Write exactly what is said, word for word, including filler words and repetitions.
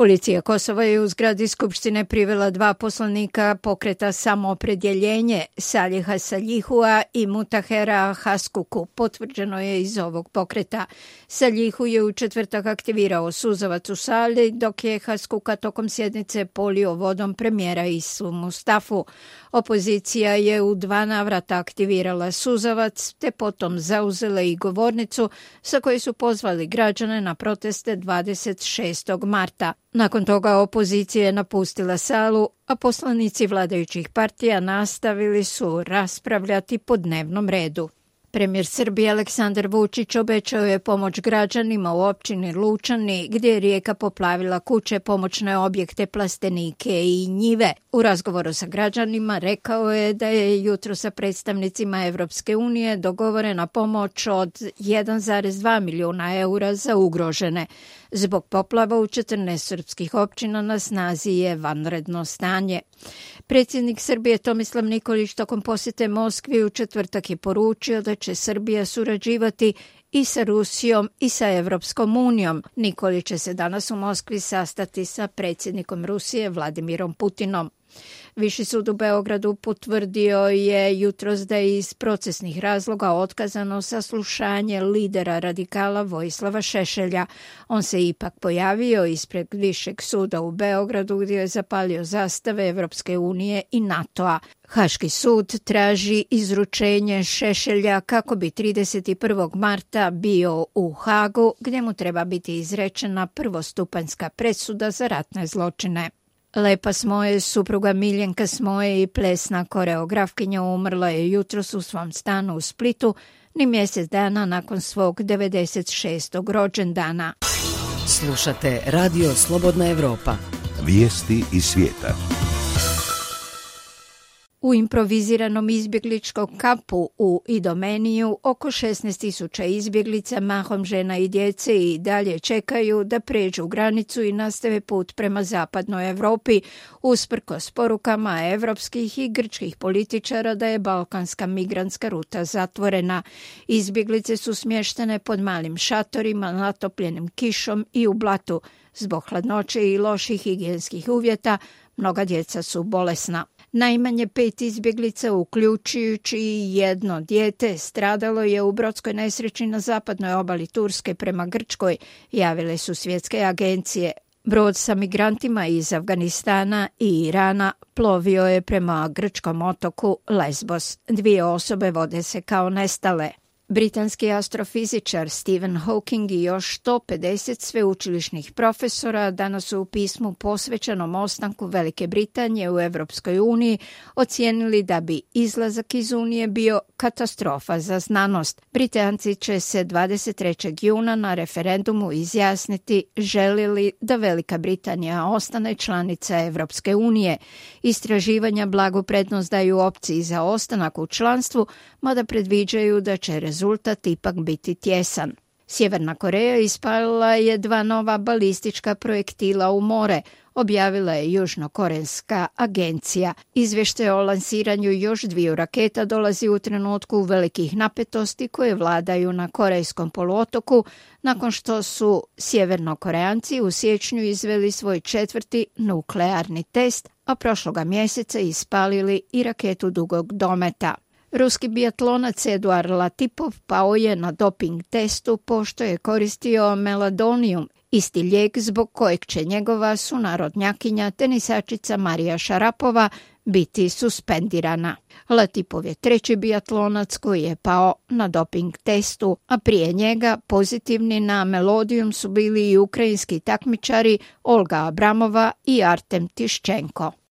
Policija Kosova je u zgradi Skupštine privela dva poslanika pokreta Samoopredjeljenje, Saliha Saljihua i Mutahera Haskuku. Potvrđeno je iz ovog pokreta. Saljihu je u četvrtak aktivirao suzavac u sali, dok je Haskuka tokom sjednice polio vodom premijera Isu Mustafu. Opozicija je u dva navrata aktivirala suzavac, te potom zauzela i govornicu sa koje su pozvali građane na proteste dvadeset šestog marta. Nakon toga opozicija je napustila salu, a poslanici vladajućih partija nastavili su raspravljati po dnevnom redu. Premijer Srbije Aleksandar Vučić obećao je pomoć građanima u općini Lučani, gdje je rijeka poplavila kuće, pomoćne objekte, plastenike i njive. U razgovoru sa građanima rekao je da je jutro sa predstavnicima Evropske unije dogovorena pomoć od jedan zarez dva milijuna eura za ugrožene. Zbog poplava u četrnaest srpskih općina na snazi je vanredno stanje. Predsjednik Srbije Tomislav Nikolić tokom posjete Moskvi u četvrtak je poručio da će Srbija surađivati i sa Rusijom i sa Evropskom unijom. Nikolić će se danas u Moskvi sastati sa predsjednikom Rusije Vladimirom Putinom. Viši sud u Beogradu potvrdio je jutros da je iz procesnih razloga otkazano saslušanje lidera radikala Vojislava Šešelja. On se ipak pojavio ispred Višeg suda u Beogradu gdje je zapalio zastave Evropske unije i NATO-a. Haški sud traži izručenje Šešelja kako bi trideset prvog marta bio u Hagu, gdje mu treba biti izrečena prvostupanjska presuda za ratne zločine. Lepa Smoje, supruga Miljenka Smoje i plesna koreografkinja, umrla je jutros u svom stanu u Splitu, ni mjesec dana nakon svog devedeset šestog rođendana. Slušate Radio Slobodna Evropa. Vijesti iz svijeta. U improviziranom izbjegličkom kampu u Idomeniju oko šesnaest tisuća izbjeglica, mahom žena i djece, i dalje čekaju da pređu granicu i nastave put prema zapadnoj Europi, usprkos porukama evropskih i grčkih političara da je balkanska migrantska ruta zatvorena. Izbjeglice su smještene pod malim šatorima, natopljenim kišom i u blatu. Zbog hladnoće i loših higijenskih uvjeta, mnoga djeca su bolesna. Najmanje pet izbjeglica, uključujući i jedno dijete, stradalo je u brodskoj nesreći na zapadnoj obali Turske prema Grčkoj, javile su svjetske agencije. Brod sa migrantima iz Afganistana i Irana plovio je prema grčkom otoku Lesbos. Dvije osobe vode se kao nestale. Britanski astrofizičar Stephen Hawking i još sto pedeset sveučilišnih profesora danas su u pismu posvećenom ostanku Velike Britanije u Evropskoj uniji ocijenili da bi izlazak iz Unije bio katastrofa za znanost. Britanci će se dvadeset trećeg juna na referendumu izjasniti želi li da Velika Britanija ostane članica Evropske unije. Istraživanja blagu prednost daju opciji za ostanak u članstvu, mada predviđaju da će rezultat ipak biti tjesan. Sjeverna Koreja ispalila je dva nova balistička projektila u more, objavila je južnokorejska agencija. Izvještaj o lansiranju još dviju raketa dolazi u trenutku velikih napetosti koje vladaju na Korejskom poluotoku, nakon što su sjevernokoreanci u siječnju izveli svoj četvrti nuklearni test, a prošloga mjeseca ispalili i raketu dugog dometa. Ruski biatlonac Eduard Latipov pao je na doping testu pošto je koristio meladonijum, isti lijek zbog kojeg će njegova sunarodnjakinja tenisačica Marija Šarapova biti suspendirana. Latipov je treći biatlonac koji je pao na doping testu, a prije njega pozitivni na melodijum su bili i ukrajinski takmičari Olga Abramova i Artem Tiščenko.